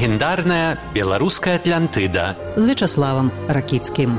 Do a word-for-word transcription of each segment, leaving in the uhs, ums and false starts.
Легендарная беларуская Атлантыда з Вячаславам Ракіцкім.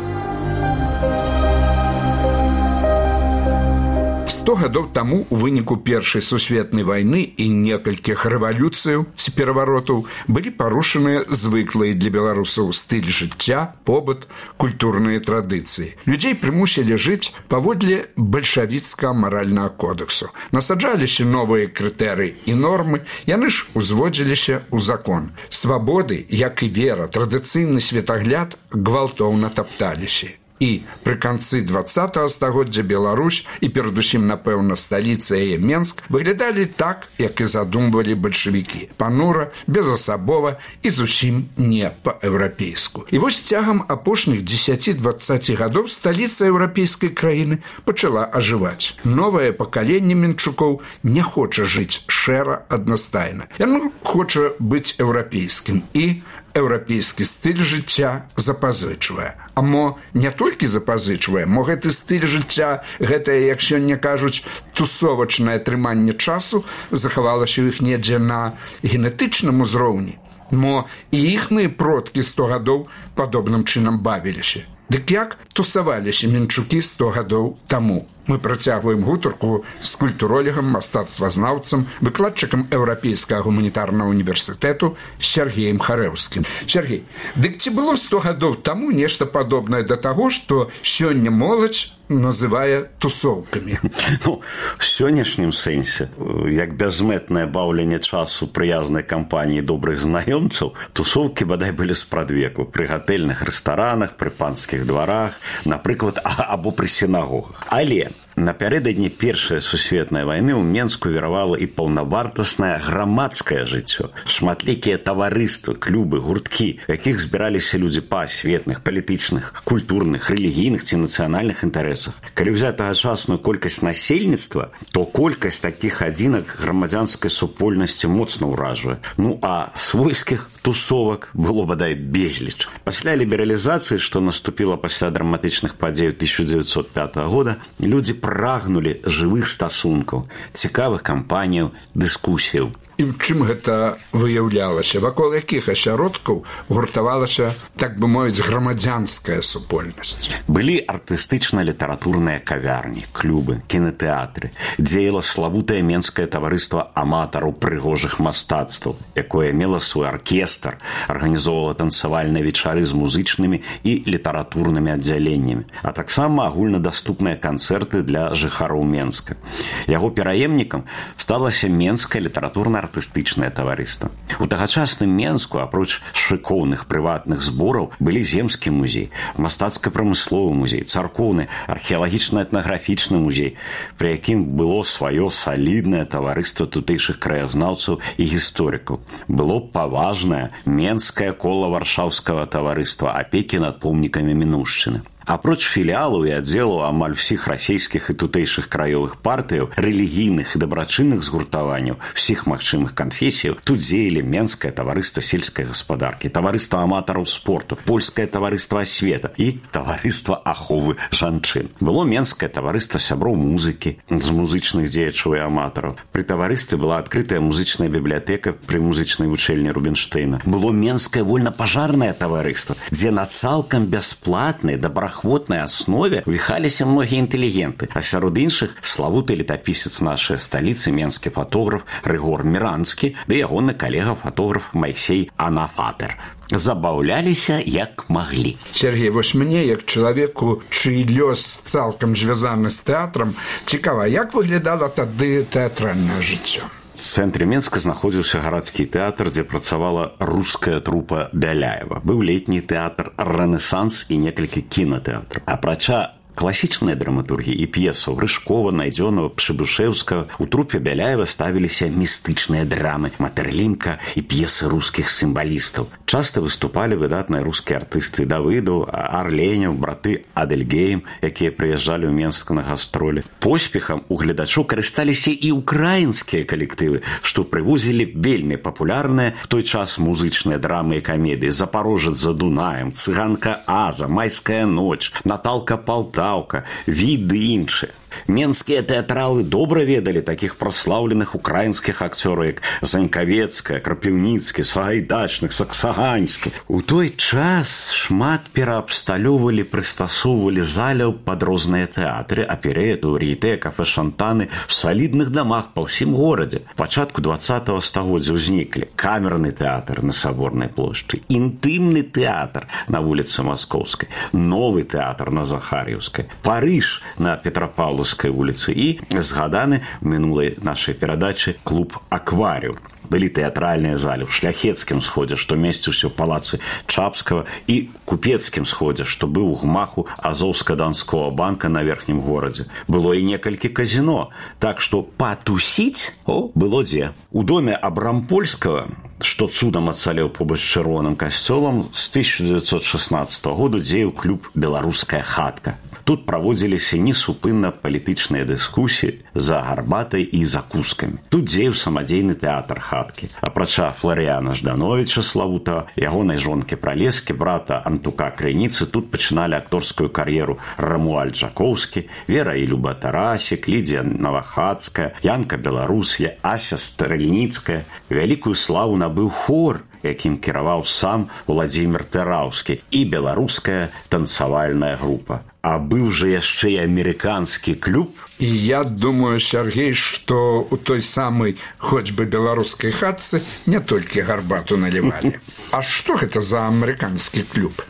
сто гадоў таму у выніку першай сусветнай вайны і некалькіх рэвалюцыяў ці пераваротаў былі парушаныя звыклыя для беларусаў стыль жыцця, побыт, культурныя традыцыі. Людзей прымусілі жыць паводле бальшавіцкага маральнага кодексу. Насаджаліся новыя крытэрыі і нормы, яны ж узводзіліся ў закон. Свабоды, як і вера, традыцыйны светагляд гвалтоўна тапталіся. І пры канцы двадцатага стагоддзя Беларусь і перадусім, напэўна, сталіца яе Менск выглядалі так, як і задумвалі бальшавікі. Панура, безасабова і зусім не па-еўрапейску. І вось цягам апошніх дзесяці-дваццаці гадоў сталіца еўрапейскай краіны пачала ажываць. Новае пакаленне менчукоў не хоча жыць шэра аднастайна. Яно хоча быць еўрапейскім і еўрапейскі стыль жыцця запазычвае. А мо не толькі запазычвае, мо гэты стыль жыцця, гэтае, як сёння кажуць, тусовачнае трыманне часу захавалася ў іх недзе на генетычным узроўні. Мо і іхныя продкі сто гадоў падобным чынам бавіліся. Дык як тусаваліся менчукі сто гадоў таму? Мы працягваем гутарку з культуролегам, мастацтвазнаўцам, выкладчыкам Еўрапейскага гуманітарнага універсітэту Сергеем Харэўскім. Сергей, дык ці было сто гадоў таму нешта падобнае да таго, што сёння моладзь называе тусоўкамі? Ну, в сённяшнім сэнсе, як бязмэтнае баўленне часу прыязнай кампаніі добрых знаёмцаў, тусоўкі бадай былі спрадвеку пры гатэльных рэстаранах, пры панскіх дварах, напрыклад, або пры сінагогах. Але напярэдадні першай сусветнай вайны ў Менску віравала і паўнавартаснае грамадскае жыццё. Шматлікія таварыствы, клубы, гурткі, якіх збіраліся людзі па асветных, палітычных, культурных, рэлігійных ці нацыянальных інтарэсах. Калі ўзяць тагачасную колькасць насельніцтва, то колькасць такіх адзінак грамадзянскай супольнасці моцна ўражвае. Ну, а свойскіх тусовак было бадай безліч. Пасля лібералізацыі, што наступіла пасля драматычных падзей тысяча дзевяцьсот пятага года, людзі прагнулі жывых стасункаў, цікавых кампаніяў, дыскусіяў. І ў чым гэта выяўлялася? Вакол якіх асяродкаў гуртавалася, так бы мовіць, грамадзянская супольнасць? Былі артыстычна-літаратурныя кавярні, клубы, кінатэатры. Дзеяла славутае менскае таварыства аматараў прыгожых мастацтваў, якое мела свой аркестр, арганізоўвала танцавальныя вечары з музычнымі і літаратурнымі аддзяленнямі, а таксама агульнадаступныя канцэрты для жыхароў Менска. Яго пераемнікам сталася Менскае літаратурна артыстычнае таварыства. У тагачасным Менску, апроч шыкоўных прыватных збораў, былі земскі музей, мастацка-прамысловы музей, царкоўны, археалагічна-этнаграфічны музей, пры якім было сваё саліднае таварыства тутэйшых краязнаўцаў і гісторыкаў. Было паважнае Менскае кола варшаўскага таварыства апекі над помнікамі мінуўшчыны. Апроч філіалаў і аддзелаў амаль усіх расійскіх і тутэйшых краёвых партыяў, рэлігійных і дабрачынных згуртаванняў усіх магчымых канфесіяў, тут дзеялі Менскае таварыства сельскай гаспадаркі, таварыства аматараў спорту, польскае таварыства асвета і таварыства аховы жанчын. Было Менскае таварыства сяброў музыкі з музычных дзеячаў і аматараў. Пры таварыстве была адкрытая музычная бібліятэка пры музычнай вучэльні Рубінштэйна. Было Менскае вольнапажарнае таварыства, дзе на цалкам бясплатнай добраахвотнай аснове віхаліся многія інтэлігенты, а сярод іншых славуты летапісец нашай сталіцы, менскі фотограф Рыгор Міранскі, ды ягоны калега-фотограф Майсей Анафатер. Забаўляліся як маглі. Сергей, вось мне, як чалавеку, чый лёс цалкам звязаны з тэатрам, цікава, як выглядала тады тэатральнае жыццё? В цэнтры Менска знаходзіўся гарадскі тэатр, дзе працавала руская трупа Бяляева. Быў летні тэатр «Рэнесанс» і некалькі кінатэатраў. Апрача класічныя драматургіі і п'есаў Рыжкова, Найдзёнова, Пшыбушэўскага у трупе Бяляева ставіліся містычныя драмы Матэрлінка і п'есы рускіх сімвалістаў. Часта выступалі выдатныя рускія артысты Давыдаў, Арленяў, браты Адельгейм, якія прыязджалі ў Менск на гастролі. Поспехам у гледачоў карысталіся і ўкраінскія калектывы, што прывозілі вельмі папулярныя в той час музычныя драмы і камедыі «Запорожец за Дунаем», «Цыганка Аза», «Майская ноч», «Наталка Полтавка», «Віды іншыя». Менскія тэатралы добра ведалі такіх праслаўленых украінскіх акцёраў, як Занькавецкая, Крапіўніцкі, Сагайдачных, Саксаганьскі. У той час шмат пераабсталёвалі, прыстасоўвалі заляў пад розныя тэатры, аперету, вар'етэ, кафэ «Шантаны» в салідных дамах па ўсім горадзе. У пачатку двадцатага стагоддзя ўзніклі камерны тэатр на Саборнай плошчы, інтымны тэатр на вуліцы Маскоўскай, новы тэатр на Захар'еўскай, Парыж на Петрапаўлаўскай вуліцы і згаданы в мінулай нашай перадачы клуб «Акваріум». Былі тэатральныя залі ў Шляхецкім сходзе, што месціўся ў палацы Чапскага, і Купецкім сходзе, што быў у гмаху Азоўска-Данского банка на верхнім горадзе. Было і некалькі казино, так што патусіць о, было дзе. У доме Абрампольскага, што цудам ацалеў побач з чырвоным касцёлам, з тысяча дзевяцьсот шаснаццатага году дзеяў клуб «Беларуская хатка». Тут праводзіліся несупынна палітычныя дыскусіі за гарбатай і закускамі. Тут дзеяў самадзейны тэатр хаткі. Апрача Фларыяна Ждановіча славутага, ягонай жонкі Пралескі, брата Антука Крыніцы, тут пачыналі акторскую кар'еру Рамуальд Жакоўскі, Вера і Люба Тарасік, Лідзія Навахацкая, Янка Беларус, Ася Стрэльніцкая. Вялікую славу набыў хор, якім кіраваў сам Уладзімір Тэраўскі, і беларуская танцавальная група. А быў жа яшчэ і амерыканскі клуб. І я думаю, Сергей, што у той самай хоць бы беларускай хатцы не толькі гарбату налівалі. А што гэта за амерыканскі клуб?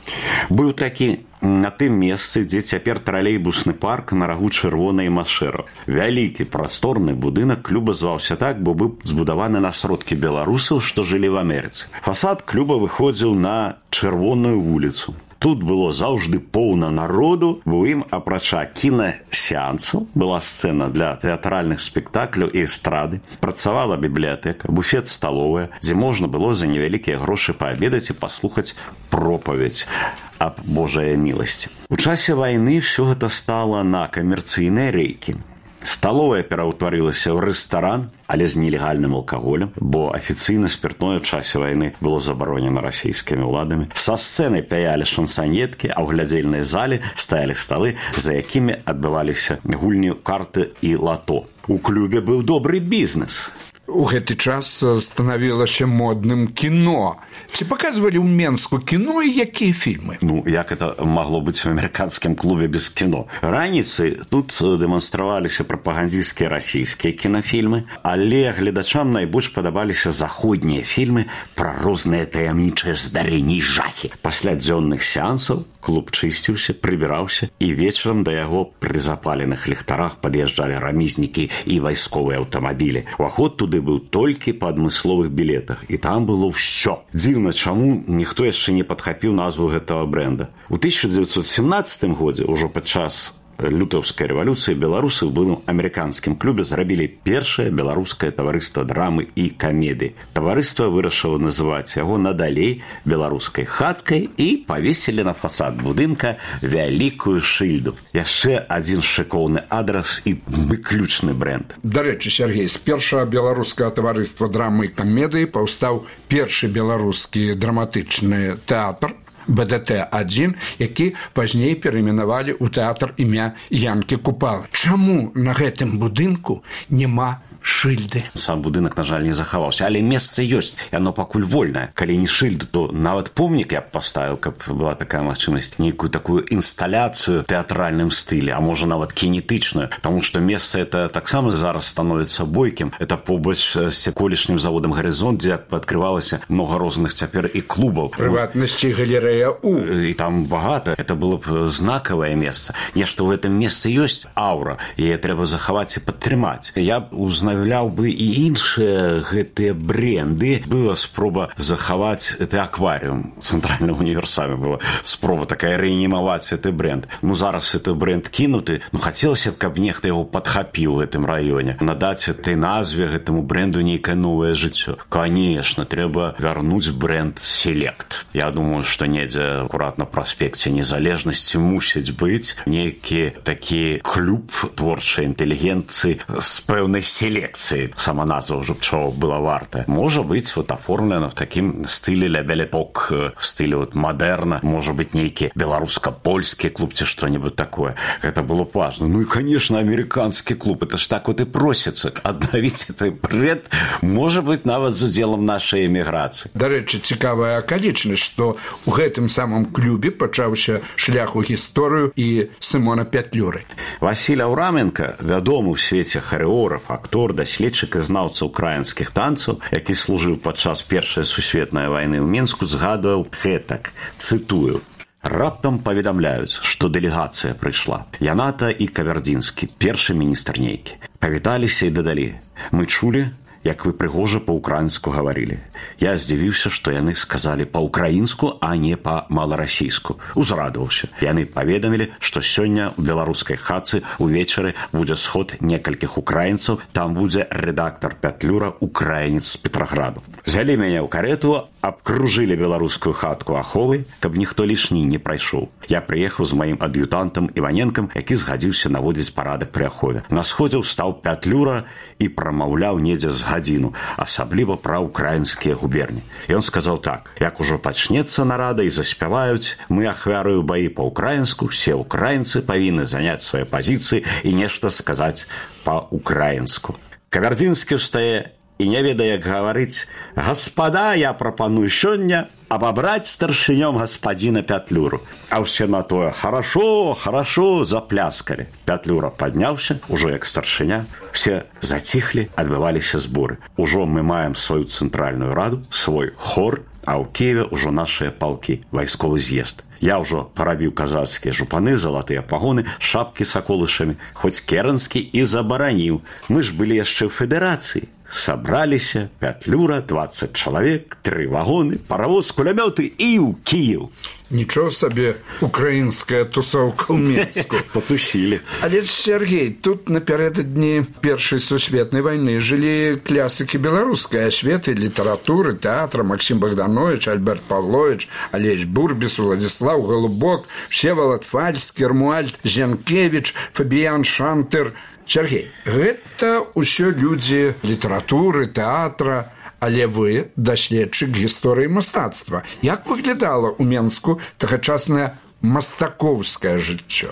Быў такі на тым месцы, дзе цяпер тралейбусны парк на рагу Чырвонай Машэра. Вялікі прасторны будынак клуба зваўся так, бо быў збудаваны на сродкі беларусаў, што жылі в Амерыцы. Фасад клуба выходзіў на Чырвоную вуліцу. Тут было заўжды поўна народу, бо ім, апрача кінасеансаў, была сцэна для тэатральных спектакляў і эстрады, працавала бібліятэка, буфет-сталовая, дзе можна было за невялікія грошы паабедаць і паслухаць пропаведь аб Божай міласці. У часе вайны ўсё гэта стала на камерцыйныя рэйкі. Сталовая пераўтварылася ў рэстаран, але з нелегальным алкаголем, бо афіцыйна спіртное ў часе вайны было забаронена расійскімі ўладамі. Са сцэны пяялі шансанеткі, а ў глядзельнай зале стаялі сталы, за якімі адбываліся гульні карты і лато. У клубе быў добры бізнес. У гэты час станавілася модным кіно. Ці паказвалі ў Менску кіно і якія фільмы? Ну, як это магло быць в амерыканскім клубе без кіно? Раніцай тут дэманстраваліся прапагандысцкія расійскія кінафільмы, але гледачам найбольш падабаліся заходнія фільмы пра розныя таямнічыя здарэнні і жахі. Пасля дзённых сеансаў клуб чысціўся, прыбіраўся, і вечарам да яго пры запаленых ліхтарах пад'язджалі рамізнікі і вайсковыя аўтамабілі. Уваход туды быў толькі па адмысловых білетах, і там было ўсё. Дзіўна, чаму ніхто яшчэ не падхапіў назву гэтага брэнда. У тысяча дзевяцьсот семнаццатым годзе, ужо падчас лютаўскай рэвалюцыі, беларусы ў былым амерыканскім клубе зрабілі першае беларускае таварыства драмы і камедыі. Таварыства вырашыла называць яго надалей беларускай хаткай і павесілі на фасад будынка вялікую шыльду. Яшчэ адзін шыкоўны адрас і выключны брэнд. Дарэчы, Сергей, з першага беларускага таварыства драмы і камедыі паўстаў першы беларускі драматычны тэатр бэ дэ тэ адзін, які пазней перайменавалі ў тэатр імя Янкі Купалы. Чаму на гэтым будынку няма шыльды? Сам будынак, на жаль, не захаваўся, але месца ёсць, яно пакуль вольнае. Калі не шыльду, то нават помнік я б паставіў, каб была такая магчымасць, нейкую такую інсталяцыю тэатральным стылі, а можа нават кінетычную, таму што месца это таксама зараз становіцца бойкім. Это побач з колішнім заводам «Гарызонт», дзе адкрывалася много розных цяпер і клубаў. Прыватнасці галерэя У. І там багата. Это было б знакавае месца. Нешта ў гэтым месцы ёсць аўра, яе трэба захаваць і падтрымаць. Я б узнавляў бы і іншыя гэтыя бренды. Была спроба захаваць гэты акварыум. Цэнтральным універсаме была спроба такая рэанімаваць гэты бренд. Ну, зараз гэты бренд кінуты. Ну, хацелася б, каб нехта яго падхапіў у гэтым раёне. Надаць этой назве гэтаму бренду нейкае новае жыццё. Конечно, трэба вярнуць бренд «Селект». Я думаю, што недзе акурат на праспекце Незалежнасці мусіць быць нейкі такі клуб творчай інтэлігенцыі з пэўнай селекцыяй колекции. Сама назва уже чего была варта. Может быть, вот оформлено в таким стиле ля белепок, в стиле вот модерна. Может быть, некий белорусско-польский клуб, те что-нибудь такое. Это было важно. Ну и, конечно, американский клуб. Это ж так вот и просится. Обновить этот бред, может быть, нават за делом нашей эмиграции. До речи, цікавая околичность, что в этом самом клубе почался шлях у историю и Симона Петлюры. Василь Аураменко, вядомы ў свеце харэограф, актор, даследчык і знаўца украінскіх танцаў, які служыў падчас першай сусветнай вайны ў Мінску, згадваў гэтак, цытую: «Раптам паведамляюць, што дэлегацыя прыйшла. Яната і Кавярдзінскі, першы міністр нейкі. Павіталіся і дадалі: мы чулі, як вы прыгожа па-украінску гаварылі. Я здзівіўся, што яны сказалі па-украінску, а не па-маларасійску. Узрадаваўся. Яны паведамілі, што сёння ў беларускай хатцы увечары будзе сход некалькіх украінцаў, там будзе рэдактар Пятлюра, украінец з Петраграду. Взялі мяне ў карету, абкружылі беларускую хатку аховай, каб ніхто лішні не прайшоў. Я прыехаў з маім ад'ютантам Іваненкам, які згадзіўся наводзіць парадак пры ахове. На сходзе стаў Пятлюра і прамаўляў недзе з гадзіну, асабліва пра украінскія губерні. Ён сказаў так: як ужо пачнецца нарада і заспяваюць, мы ахвярую баі па-украінску, все украінцы павінны заняць свае пазіцыі і нешта сказаць па-украінску. Кавярдзінскі ўстае і не ведае, як гаварыць: «Гаспада, я прапаную сёння абабраць старшынём гаспадзіна Пятлюру». А ўсе на тое: «Хорошо, хорошо», запляскалі. Пятлюра падняўся, ужо як старшыня. Все заціхлі, адбываліся зборы. Ужо мы маем сваю цэнтральную раду, свой хор, а ў Киеве ўжо нашыя палкі, вайсковы з'езд. Я ўжо парабіў казацкія жупаны, залатыя пагоны, шапкі с аколышамі, хоць керанскі і забараніў. Мы ж былі яшчэ ў федэрацыі. Собраліся, Пятлюра, двадцать чалавек, тры вагоны, паравоз, кулямёты і ў Киев. Нічого собі українська тусовка ў Мінску. Потусілі. Але, Сергей, тут напярэдадні Першай сусветнай вайны жылі клясыкі беларускай асветы, літаратуры, тэатра: Максим Богданович, Альберт Павлович, Алесь Бурбіс, Владислав Голубок, Всеволод Фальскі, Рмуальд Зенкевич, Фабіян Шантер. Сергей, гэта ўсё людзі літаратуры, тэатра, але вы даследчык гісторыі мастацтва. Як выглядала ў Менску тагачаснае мастакоўскае жыццё?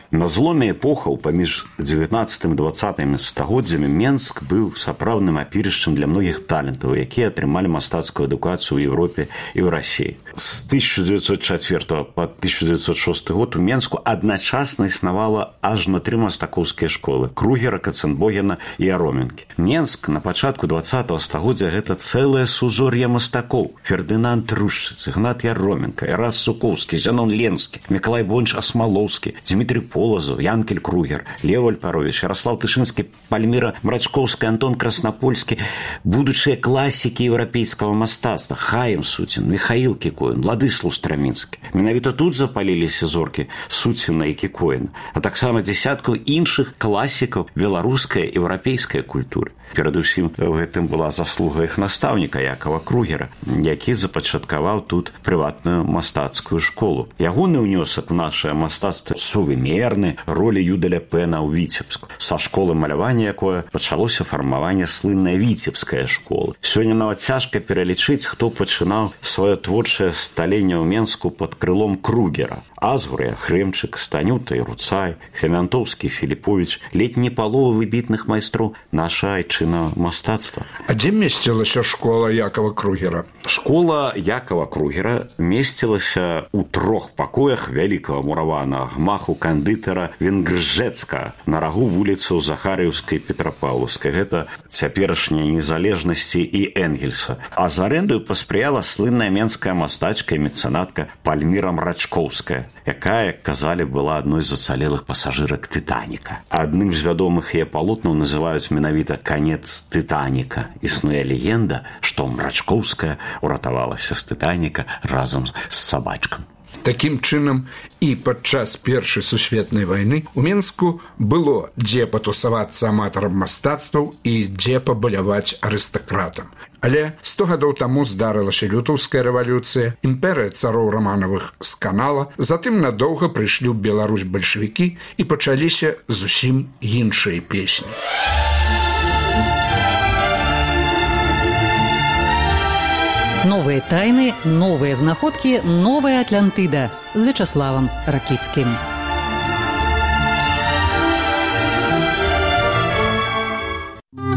На зломе эпохаў паміж дзевятнаццатым і дваццатым стагоддзямі Менск быў сапраўдным апірышчам для многіх талентаў, якія атрымалі мастацкую адукацыю ў Еўропе і ў Расіі. З тысяча дзевятьсот чацвёртага па тысяча дзевятьсот шосты год у Менску адначасна існавала аж на тры мастакоўскія школы: Кругера, Каценбогена і Ароменкі. Менск на пачатку дваццатага стагоддзя гэта цэлае сузор'е мастакоў: Фердынанд Рушчыц, Ігнат Яроменка, Эрас Сукоўскі, Зянон Ленскі, Мікалай Бонч Асмалоўскі, Дмітрий Полозов, Янкель Кругер, Лев Альпарович, Ярослав Тышинский, Пальмира Мрачковская, Антон Краснопольский, будучыя класікі еўрапейскага мастацтва: Хаім Суцін, Михаил Кікоін, Владыслав Страмінскі. Менавіта тут запаліліся зоркі Суціна і Кікоіна, а таксама дзесяткаў іншых класікаў беларускай і еўрапейскай культуры. Перадусім, в гэтым была заслуга іх настаўніка Якова Кругера, які запачаткаваў тут прыватную мастацкую школу. Ягоны ўнёсак у нашае мастацтва сувымерны ролі Юдаля Пэна ў Віцебску, са школы малявання якое пачалося фармаванне слынная віцебская школа. Сёння нават цяжка пералічыць, хто пачынаў сваё творчае сталенне ў Менску пад крылом Кругера. Азгур, Хрэмчык, Станюта і Руцай, Фемянтоўскі, Філіповіч, ледзь не палова выбітных майстроў наша айчына мастацтва. А дзе месцілася школа Якова Кругера? Школа Якова Кругера месцілася ў трох пакоях вялікага мураванага гмаху кандытара Венгржэцка на рагу вуліцаў Захарыўскай, Петрапаўлаўскай. Гэта цяперашняй незалежнасці і Энгельса. А з арэндаю паспрыяла слынная менская мастачка і мецэнатка Пальміра Мрачковская, якая, як казалі, была адной з ацалелых пасажырак Тытаніка. Адным з вядомых яе палотнаў называюць менавіта «Канец Тытаніка». Існуе легенда, што Мрачковская уратавалася з Тытаніка разам з сабачкам. Такім чынам, і падчас Першай сусветнай вайны у Менску было дзе патусавацца аматарам мастацтваў і дзе пабаляваць арыстакратам. Але сто гадоў таму здарылася лютаўская рэвалюцыя, імперыя цароў Раманавых сканала, затым надоўга прыйшлі ў Беларусь бальшавікі і пачаліся зусім іншыя песні. Новые тайны, новые знаходкі, новая Атлантыда з Вячаславам Ракіцкім.